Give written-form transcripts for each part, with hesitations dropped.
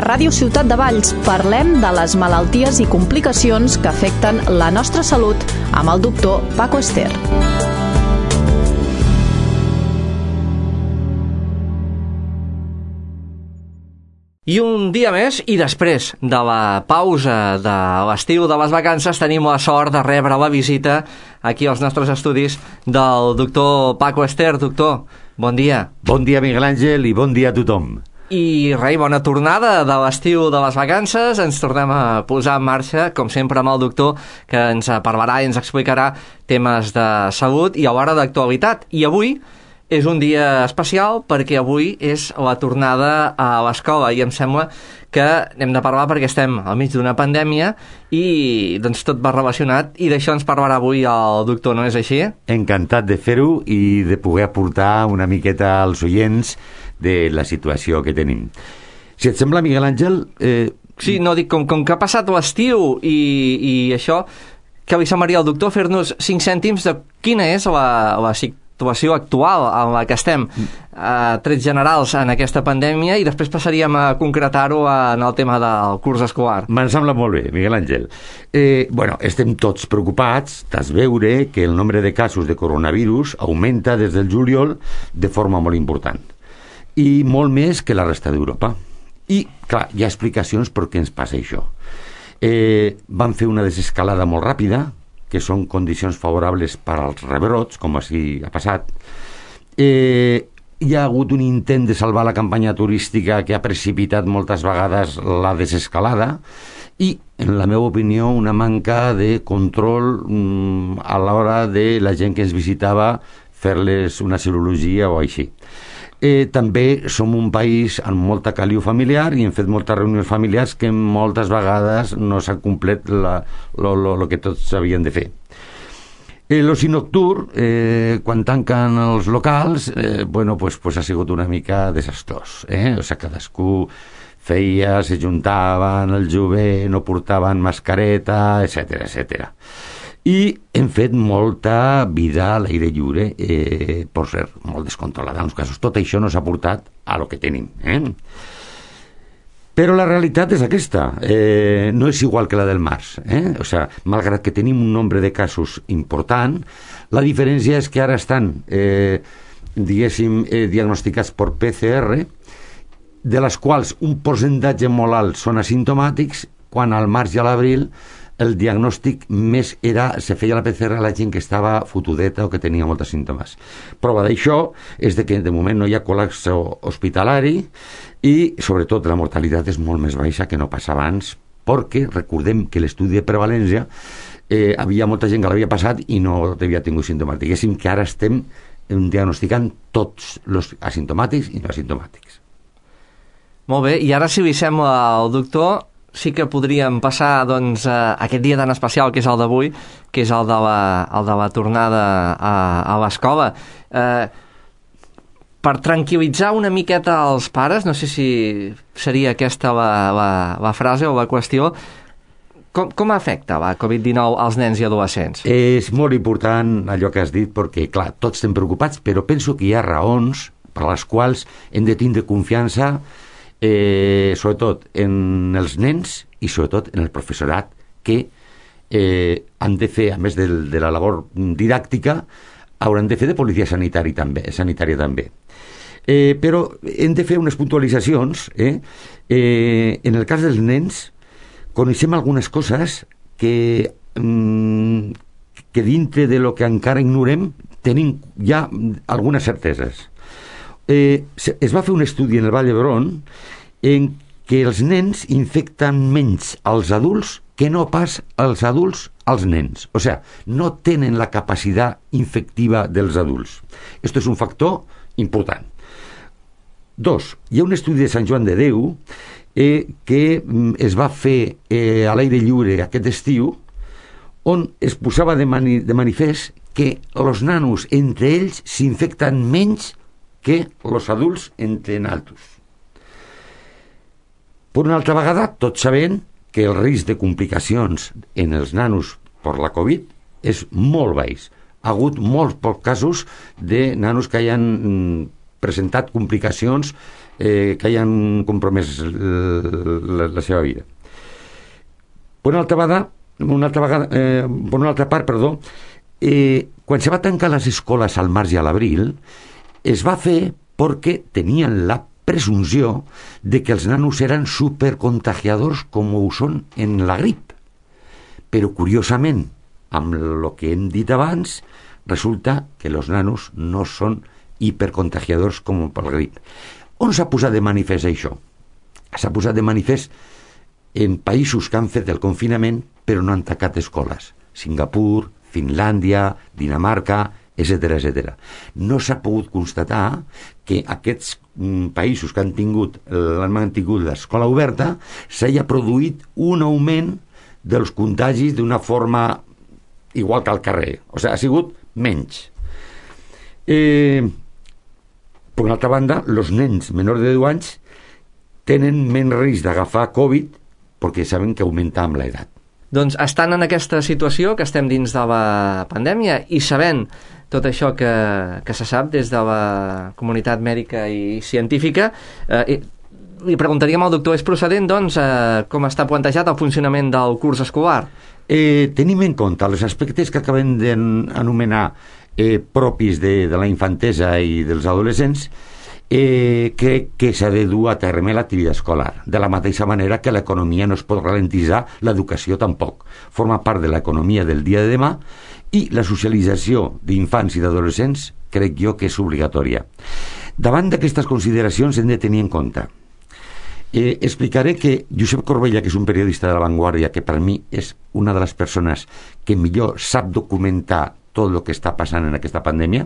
Ràdio Ciutat de Valls parlem de les malalties i complicacions que afecten la nostra salut amb el doctor Paco Ester. I un dia més, i després de la pausa de l'estiu, de les vacances, tenim la sort de rebre la visita aquí als nostres estudis del doctor Paco Ester. Doctor, bon dia. Bon dia, Miguel Àngel, i bon dia a tothom. I rei, bona tornada de l'estiu de les vacances. Ens tornem a posar en marxa, com sempre, amb el doctor, que ens parlarà i ens explicarà temes de salut i alhora d'actualitat. I avui és un dia especial perquè avui és la tornada a l'escola i em sembla que hem de parlar perquè estem al mig d'una pandèmia i doncs tot va relacionat i d'això ens parlarà avui el doctor, no és així? Encantat de fer-ho i de poder aportar una miqueta als oients de la situació que tenim. Si et sembla, Miguel Àngel... Sí, no, dic, com que ha passat l'estiu i això, que li semblaria al doctor fer-nos 5 cèntims de quina és la situació actual en la que estem, trets generals en aquesta pandèmia, i després passaríem a concretar-ho en el tema del curs escolar. Me'n sembla molt bé, Miguel Àngel. Estem tots preocupats d'es veure que el nombre de casos de coronavirus augmenta des del juliol de forma molt important. I molt més que la resta d'Europa. I, clar, hi ha explicacions per què ens passa això. Van fer una desescalada molt ràpida, que són condicions favorables per als rebrots, com així ha passat. Hi ha hagut un intent de salvar la campanya turística que ha precipitat moltes vegades la desescalada i, en la meva opinió, una manca de control a l'hora de la gent que ens visitava fer-les una cirurgia o així. També som un país amb molta caliu familiar i hem fet moltes reunions familiars que moltes vegades no s'ha complet el que tots havien de fer. L'oci nocturn, quan tanquen els locals, ha sigut una mica desastrós. Cadascú feia, se juntaven, el jove no portaven mascareta, etcètera. I hem fet molta vida a l'aire lliure, per ser molt descontrolada en els casos. Tot això no s'ha portat a lo que tenim. Però la realitat és aquesta. No és igual que la del març. Malgrat que tenim un nombre de casos important, la diferència és que ara estan, diagnosticats per PCR, de les quals un percentatge molt alt són asimptomàtics, quan al març i a l'abril el diagnòstic més se feia la PCR a la gent que estava fotudeta o que tenia molts símptomes. Prova d'això és que de moment no hi ha col·lapse hospitalari i, sobretot, la mortalitat és molt més baixa que no passava abans, perquè recordem que l'estudi de prevalència havia molta gent que l'havia passat i no havia tingut símptomes. Diguéssim que ara estem diagnosticant tots els asimptomàtics i no asimptomàtics. Molt bé, i ara, si li sembla al doctor, sí que podríem passar aquest dia tan especial que és el d'avui, que és el de la tornada a l'escola. Per tranquil·litzar una miqueta els pares, no sé si seria aquesta la frase o la qüestió, com afecta la Covid-19 als nens i adolescents? És molt important allò que has dit, perquè, clar, tots estem preocupats, però penso que hi ha raons per les quals hem de tindre confiança, sobretot en els nens i sobretot en el professorat, que han de fer, a més de la labor didàctica, hauran de fer de policia sanitària també. Però hem de fer unes puntualitzacions. En el cas dels nens coneixem algunes coses que dintre de lo que encara ignorem tenim ja algunes certeses. Es va fer un estudi en el Vall d'Hebron en què els nens infecten menys als adults que no pas els adults als nens. O sigui, no tenen la capacitat infectiva dels adults. Esto és un factor important. 2. Hi ha un estudi de Sant Joan de Déu que es va fer a l'aire lliure aquest estiu, on es posava de manifest que els nanos entre ells s'infecten menys que els adults entre naltros. Per una altra vegada, tots sabem que el risc de complicacions en els nanos per la Covid és molt baix. Ha hagut molts pocs casos de nanos que hayan presentat complicacions que hayan compromès la seva vida. Per una altra part, quan se va tancar les escoles al març i a l'abril, es va fer perquè tenien la presumpció de que els nanos eren supercontagiadors com ho són en la grip. Però, curiosament, amb el que hem dit abans, resulta que els nanos no són hipercontagiadors com per la grip. On s'ha posat de manifest això? S'ha posat de manifest en països que han fet el confinament però no han tancat escoles. Singapur, Finlàndia, Dinamarca, etc. No s'ha pogut constatar que aquests països que han mantingut l'escola oberta s'hagi produït un augment dels contagis d'una forma igual que al carrer. O sigui, ha sigut menys. Per una altra banda, els nens menors de 10 anys tenen menys risc d'agafar Covid perquè saben que augmenta amb l'edat. Doncs estan en aquesta situació que estem dins de la pandèmia i sabent tot això que se sap des de la comunitat mèdica i científica, li preguntaríem al doctor, és procedent, doncs, com està plantejat el funcionament del curs escolar? Tenim en compte els aspectes que acabem d'anomenar propis de la infantesa i dels adolescents, crec que s'ha de dur a terme l'activitat escolar. De la mateixa manera que l'economia no es pot ralentitzar, l'educació tampoc. Forma part de l'economia del dia de demà i la socialització d'infants i d'adolescents crec jo que és obligatòria. Davant d'aquestes consideracions hem de tenir en compte. Explicaré que Josep Corbella, que és un periodista de La Vanguardia, que per mi és una de les persones que millor sap documentar tot el que està passant en aquesta pandèmia,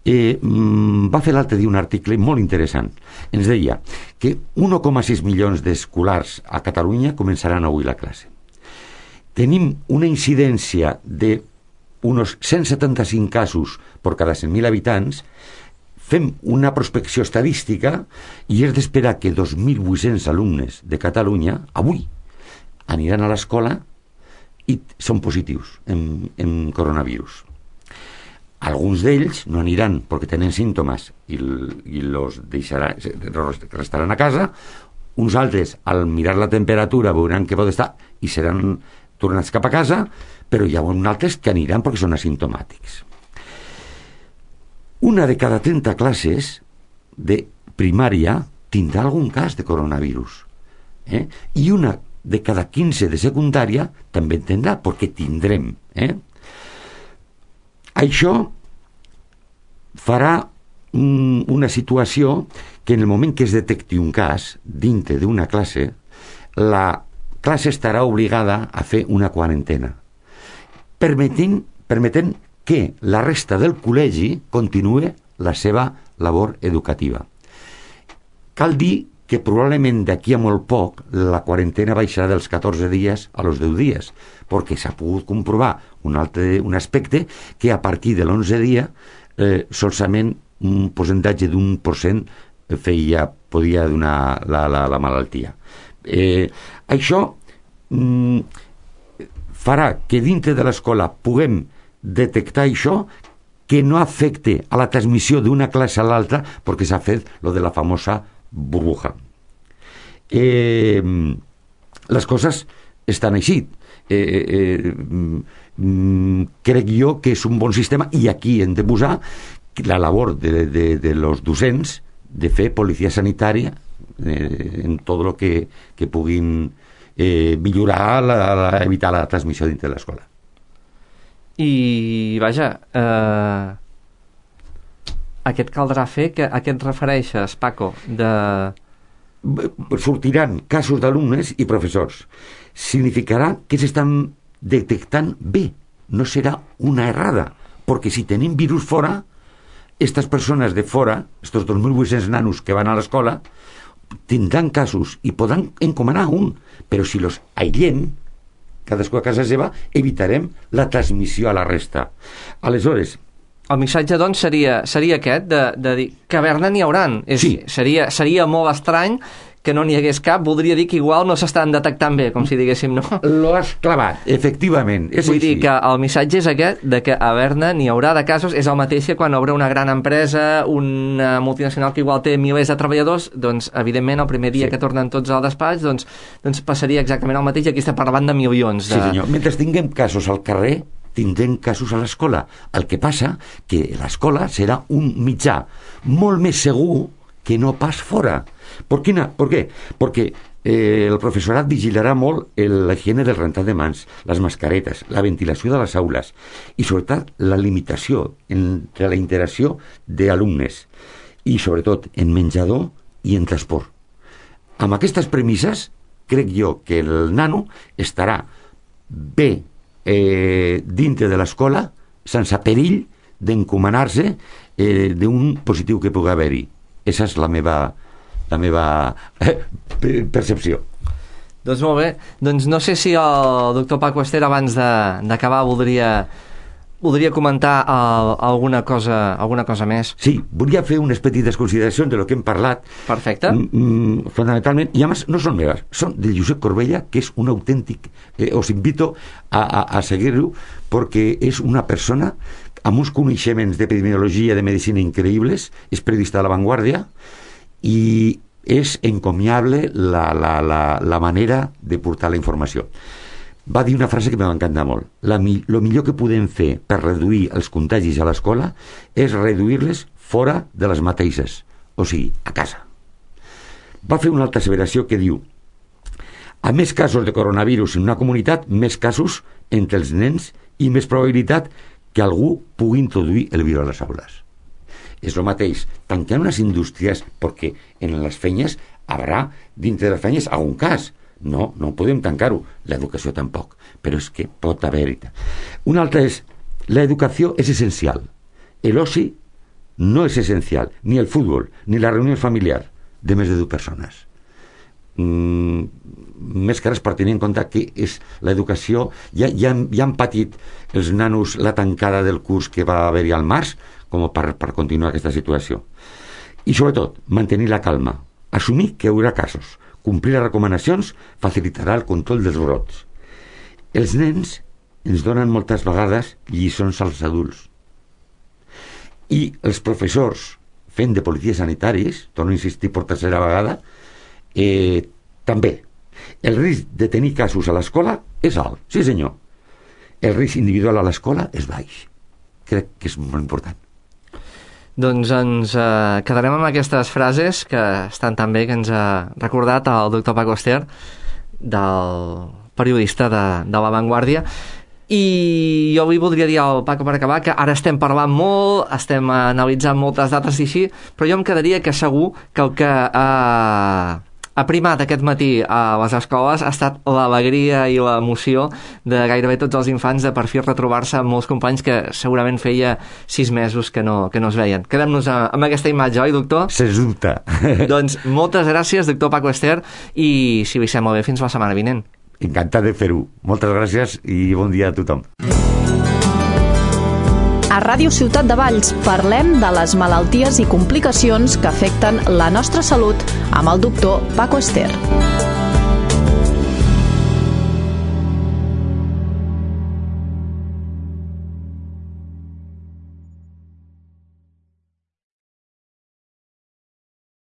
va fer l'altre dia un article molt interessant. Ens deia que 1,6 milions d'escolars a Catalunya començaran avui la classe. Tenim una incidència de uns 175 casos per cada 100.000 habitants. Fem una prospecció estadística i és d'esperar que 2.800 alumnes de Catalunya avui aniran a l'escola i són positius en coronavirus. Alguns d'ells no aniran perquè tenen símptomes i restaran a casa. Uns altres, al mirar la temperatura, veuran que pot estar i seran tornats cap a casa, però hi ha uns altres que aniran perquè són asimptomàtics. Una de cada 30 classes de primària tindrà algun cas de coronavirus. I una de cada 15 de secundària també en tindrà, perquè tindrem. Això farà una situació que en el moment que es detecti un cas dintre d'una classe, la classe estarà obligada a fer una quarantena, permetent que la resta del col·legi continuï la seva labor educativa. Cal dir que probablement d'aquí a molt poc la quarantena baixarà dels 14 dies a los 10 dies, perquè s'ha pogut comprovar un aspecte que a partir de l'11 dia solament un percentatge d'1% podia donar la malaltia. Això farà que dintre de l'escola puguem detectar això, que no afecte a la transmissió d'una classe a l'altra, perquè s'ha fet lo de la famosa burbuja. Les coses estan així. Crec jo que és un bon sistema i aquí hem de posar la labor de los docents de fer policia sanitària en tot el que puguin millorar, evitar la transmissió dintre de l'escola. I vaja, a què et caldrà fer? A què et refereixes, Paco? Sortiran casos d'alumnes i professors. Significarà que s'estan detectant bé, no serà una errada, perquè si tenim virus fora, aquestes persones de fora, aquests 2.800 nanos que van a l'escola, tindran casos i podran encomanar un, però si los aïllem, cadascú a casa seva, evitarem la transmissió a la resta. Aleshores, el missatge, doncs, seria aquest, de dir, caverna n'hi hauran. Sí. Seria molt estrany que no n'hi hagués cap, voldria dir que igual no s'estan detectant bé, com si diguéssim, no? Lo has clavat, efectivament. Vull dir que el missatge és aquest, de que a Berna n'hi haurà de casos, és el mateix que quan obre una gran empresa, una multinacional que igual té milers de treballadors, doncs, evidentment, el primer dia que tornen tots al despatx, doncs passaria exactament el mateix, i aquí estem parlant de milions. Sí, senyor. Mentre tinguem casos al carrer, tindrem casos a l'escola. El que passa que l'escola serà un mitjà molt més segur que no pas fora. ¿Por qué? Porque el professorat vigilarà molt la higiene del rentat de mans, les mascaretes, la ventilació de les aules i, sobretot, la limitació entre la interacció d'alumnes i, sobretot, en menjador i en transport. Amb aquestes premisses, crec jo que el nano estarà bé dintre de l'escola sense perill d'encomanar-se d'un positiu que pugui haver-hi. Esa és la meva percepció. Doncs molt bé. Doncs no sé si el doctor Paco Ester, abans d'acabar, voldria comentar alguna cosa més. Sí, volia fer unes petites consideracions de lo que hem parlat. Perfecte. Fonamentalment, i a més no són meves, són de Josep Corbella, que és un autèntic, os invito a seguir-lo, perquè és una persona amb uns coneixements d'epidemiologia, de medicina increïbles, és periodista de La Vanguardia, i és encomiable la manera de portar la informació. Va dir una frase que m'ha encantat molt. Lo millor que podem fer per reduir els contagis a l'escola és reduir-les fora de les mateixes, o sigui, a casa. Va fer una altra asseveració que diu: a més casos de coronavirus en una comunitat, més casos entre els nens i més probabilitat que algú pugui introduir el virus a les aules. És el mateix, tanquem les indústries perquè en les feines haurà, dintre de les feines, algun cas. No podem tancar-ho. L'educació tampoc, però és que pot haver-hi. Una altra és, l'educació és essencial. L'oci no és essencial, ni el futbol, ni la reunió familiar de més de 2 persones. Més que res per tenir en compte que és l'educació, ja han patit els nanos la tancada del curs que va haver-hi al març com per continuar aquesta situació. I sobretot, mantenir la calma, assumir que hi haurà casos, complir les recomanacions facilitarà el control dels brots. Els nens ens donen moltes vegades lliçons als adults i els professors fent de policies sanitaris, torno a insistir per tercera vegada, també. El risc de tenir casos a l'escola és alt, sí senyor. El risc individual a l'escola és baix. Crec que és molt important. Doncs ens quedarem amb aquestes frases que estan tan bé, que ens ha recordat el doctor Paco Ester, del periodista de La Vanguardia. I jo avui voldria dir al Paco, per acabar, que ara estem parlant molt, estem analitzant moltes dates i així, però jo em quedaria que segur que el que ha primat aquest matí a les escoles ha estat l'alegria i l'emoció de gairebé tots els infants de per fi retrobar-se amb molts companys que segurament feia 6 mesos que no es veien. Quedem-nos amb aquesta imatge, oi, doctor? Sens dubte. Doncs moltes gràcies, doctor Paco Ester, i si li sembla bé, fins la setmana vinent. Encantat de fer-ho. Moltes gràcies i bon dia a tothom. A Ràdio Ciutat de Valls parlem de les malalties i complicacions que afecten la nostra salut amb el doctor Paco Ester.